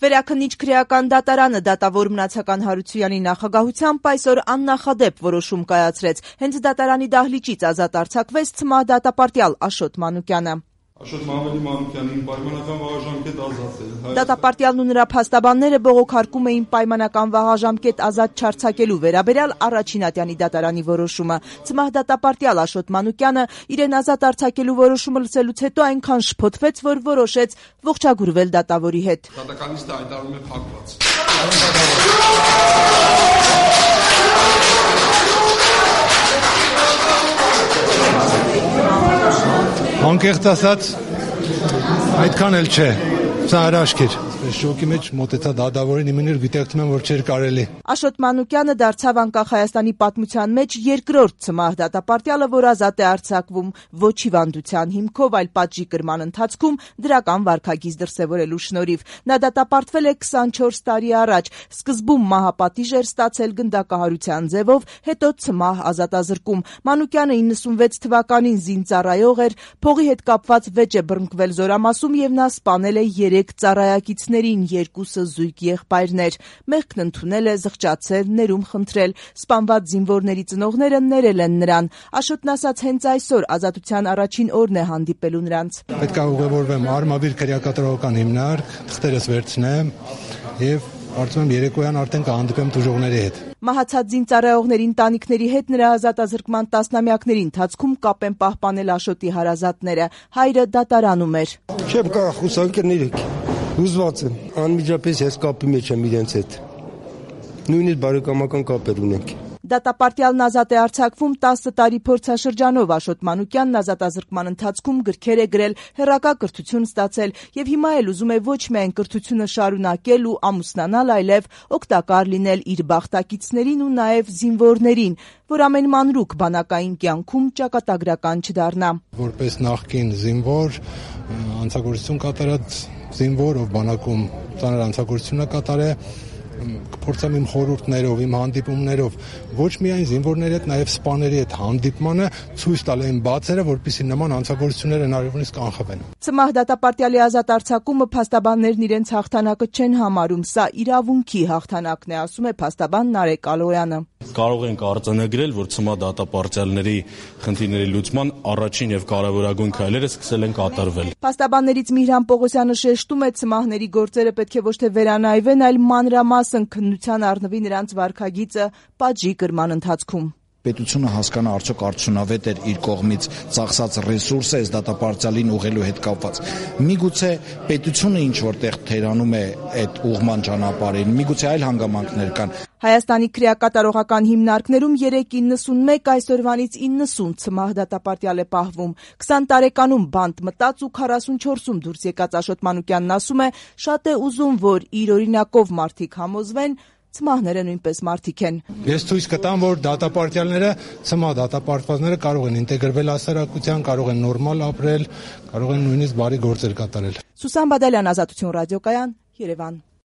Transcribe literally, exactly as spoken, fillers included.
Վերաքննիչ քրեական դատարանը դատավոր Մնացական Հարությունյանի նախագահությամբ այսօր աննախադեպ որոշում կայացրեց։ Հենց դատարանի դահլիճից ազատ արձակվեց ՑՄԱՀ դատապարտյալ Աշոտ Մանուկյանը։ Աշոտ Մամեդի Մանուկյանին պայմանական վաղաժամկետ ազատել։ Դատապարտյալն ու նրա փաստաբանները բողոքարկում էին պայմանական վաղաժամկետ ազատ չարձակելու վերաբերյալ առաջին ատյանի դատարանի որոշումը։ ՑՄԱՀ դատապարտյալ Աշոտ Մանուկյանը իրեն ազատ արձակելու որոշումը լսելուց հետո այնքան շփոթվեց, որ որոշեց ողջագուրվել դատավորի հետ։ Դատականիստը հայտարարում է փակված։ Անկեղծ ասած, այդքան էլ չէ, սա հրաշք էր։ Շոկի մեջ մոտեցա դատավորին, իմիներ գիտակցում եմ, որ չէր կարելի։ Աշոտ Մանուկյանը դարձավ անկախ Հայաստանի պատմության մեջ երկրորդ ՑՄԱՀ դատապարտյալը, որ ազատ է արձակվում ոչ հիվանդության հիմքով, այլ պատժի կրման ընթացքում դրական վարքագիծ դրսևորելու շնորհիվ։ Նա դատապարտվել է քսանչորս տարի առաջ, սկզբում մահապատիժ էր ստացել գնդակահարության ձևով, հետո ՑՄԱՀ ազատազրկում։ Մանուկյանը իննսունվեց թվականին զինծառայող էր, փողի հետ կապված վեճ է բռնկվել Զորամասում եւ նա սպանել է երեք ծառայակիցներին, երկուսը զույգ եղբայրներ։ Մեղքն ընդունել է, զղջացել, ներում խնդրել։ Սպանված զինվորների ծնողները ներել են նրան։ Աշոտն ասաց, հենց այսօր ազատության առաջին օրն է հանդիպելու նրանց։ Պետք է ուղևորվեմ Արմավիր քրեակատարողական հիմնարկ, թղթերս վերցնեմ եւ կարծում եմ երեկոյան արդեն կհանդիպեմ տուժողների հետ։ Մահացած զինծառայողների ընտանիքների հետ նրա ազատազրկման տասնամյակների ընթացքում կապ են պահպանել Աշոտի հարազատները։ Հայրը դատարանում էր։ Չեմ կարող խուսանկել իրեք։ Հուզված եմ, անմիջապես ես կապի մեջ եմ իրենց հետ։ Նույնիսկ բարեկամական կապեր ունենք։ Դատապարտյալն ազատ է արձակվում տասը տարի փորձաշրջանով։ Աշոտ Մանուկյանն ազատազրկման ընթացքում գրքեր է գրել, հեռակա կրթություն ստացել եւ հիմա էլ ուզում է ոչ միայն կրթությունը շարունակել ու ամուսնանալ, այլև օգտակար լինել իր բախտակիցներին ու նաեւ զինվորներին, որ ամեն մանրուք բանակային կյանքում ճակատագրական չդառնա։ Որպես նախկին զինվոր, անցագործություն կատարած զինվոր, ով բանակում ծանր անցագործություն է կատարել, կփորձեմ իմ խորհուրդներով, իմ հանդիպումներով ոչ միայն զինվորների հետ, նաև սպաների հետ հանդիպմանը ցույց տալ այն բացերը, որպեսզի նման անցագործությունները հնարավորինս կանխվեն։ ՑՄԱՀ դատապարտյալի ազատ արձակումը փաստաբաններն իրենց հաղթանակը չեն համարում, սա իրավունքի հաղթանակն է, ասում է փաստաբան Նարեկ Ալոյանը։ Կարող ենք արձանագրել, որ ՑՄԱՀ դատապարտյալների խնդիրների լուծման առաջին եւ կարևորագույն քայլերը սկսել են կատարվել։ Փաստաբաններից Միհրան Պողոսյանը շեշտում է, ՑՄԱՀ-ների գործերը պետք է ոչ թե վերանայվեն, այլ մանրամասն քննության առնվի նրանց վարքագիծը պատժի կրման ընթացքում։ Պետությունը հասկանա արդյոք արդյունավետ էր իր կողմից ծախսած ռեսուրսը այս դատապարտյալին ուղղելու հետ կապված։ Միգուցե պետությունը ինչ որտեղ թերանում է այդ ուղղման ճանապարհին, միգուցե այլ հանգամանքներ կան։ Հայաստանի քրեակատարողական հիմնարկներում երեք իննսունմեկ, այսօրվանից իննսուն ՑՄԱՀ դատապարտյալ է պահվում։ քսան տարեկանում բանտ մտած ու քառասունչորսում դուրս եկած Աշոտ Մանուկյանն ասում է, շատ է ուզում, որ իր օրինակով մարդիկ համոզվեն, ՑՄԱՀ-ները նույնպես մարդիկ են։ Ես ցույց կտամ, որ դատապարտյալները, ՑՄԱՀ դատապարտվածները կարող են ինտեգրվել հասարակության, կարող են նորմալ ապրել, կարող են նույնիսկ բարի գործեր կատարել։ Սուսան Բադալյան, Ազատություն ռադիոկայան, Երևան։